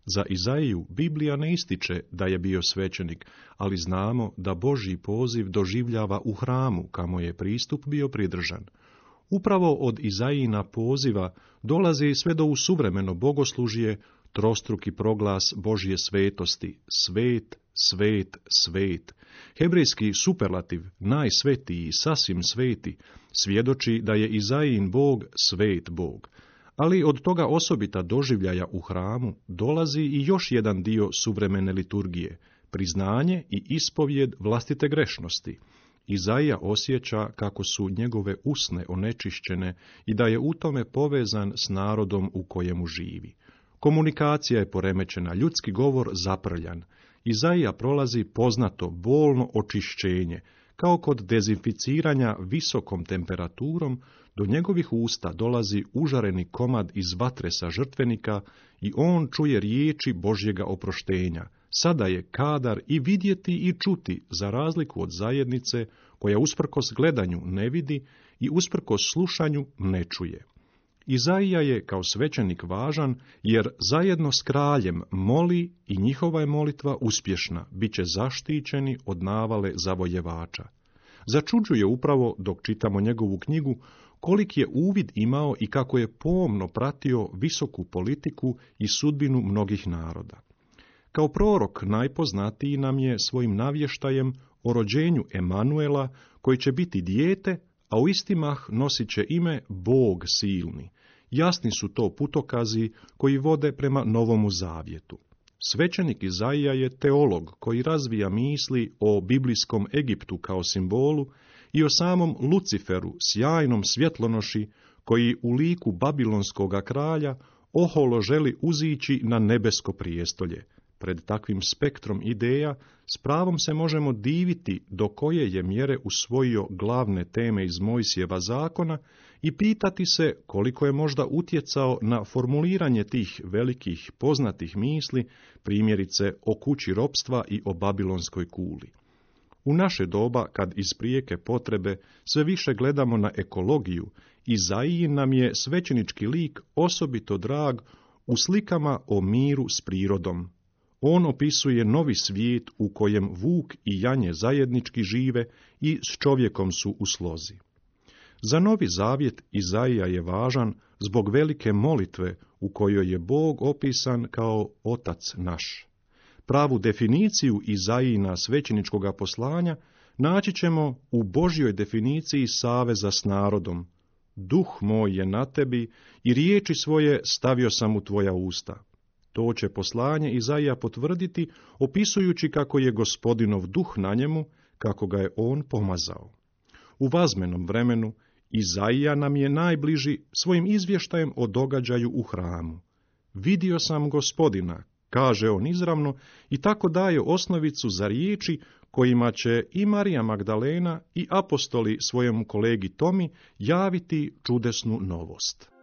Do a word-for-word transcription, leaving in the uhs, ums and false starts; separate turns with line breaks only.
Za Izaiju Biblija ne ističe da je bio svećenik, ali znamo da Božji poziv doživljava u hramu, kamo je pristup bio pridržan. Upravo od Izajina poziva dolazi sve do u suvremeno bogoslužje trostruki proglas Božje svetosti, svet, svet, svet. Hebrejski superlativ, najsvetiji, sasvim sveti, svjedoči da je Izajin Bog svet Bog. Ali od toga osobita doživljaja u hramu dolazi i još jedan dio suvremene liturgije, priznanje i ispovjed vlastite grešnosti. Izaija osjeća kako su njegove usne onečišćene i da je u tome povezan s narodom u kojemu živi. Komunikacija je poremećena, ljudski govor zaprljan. Izaija prolazi poznato, bolno očišćenje, kao kod dezinficiranja visokom temperaturom, do njegovih usta dolazi užareni komad iz vatre sa žrtvenika i on čuje riječi Božjega oproštenja. Sada je kadar i vidjeti i čuti, za razliku od zajednice koja usprkos gledanju ne vidi i usprkos slušanju ne čuje. Izaija je kao svećenik važan jer zajedno s kraljem moli i njihova je molitva uspješna, bit će zaštićeni od navale zavojevača. Začuđuje upravo, dok čitamo njegovu knjigu, kolik je uvid imao i kako je pomno pratio visoku politiku i sudbinu mnogih naroda. Kao prorok najpoznatiji nam je svojim navještajem o rođenju Emanuela, koji će biti dijete, a u isti mah nosit će ime Bog silni. Jasni su to putokazi koji vode prema Novomu Zavjetu. Svećenik Izaija je teolog koji razvija misli o biblijskom Egiptu kao simbolu i o samom Luciferu, sjajnom svjetlonoši, koji u liku babilonskoga kralja oholo želi uzići na nebesko prijestolje. Pred takvim spektrom ideja s pravom se možemo diviti do koje je mjere usvojio glavne teme iz Mojsijeva zakona i pitati se koliko je možda utjecao na formuliranje tih velikih poznatih misli, primjerice o kući ropstva i o babilonskoj kuli. U naše doba, kad iz prijeke potrebe sve više gledamo na ekologiju, Izaijin nam je svećenički lik osobito drag u slikama o miru s prirodom. On opisuje novi svijet u kojem vuk i janje zajednički žive i s čovjekom su u slozi. Za Novi Zavjet Izaija je važan zbog velike molitve u kojoj je Bog opisan kao Otac naš. Pravu definiciju Izaijina svećeničkoga poslanja naći ćemo u Božjoj definiciji saveza s narodom. Duh moj je na tebi i riječi svoje stavio sam u tvoja usta. To će poslanje Izaija potvrditi, opisujući kako je Gospodinov duh na njemu, kako ga je on pomazao. U vazmenom vremenu Izaija nam je najbliži svojim izvještajem o događaju u hramu. Vidio sam Gospodina, kaže on izravno, i tako daje osnovicu za riječi kojima će i Marija Magdalena i apostoli svojemu kolegi Tomi javiti čudesnu novost.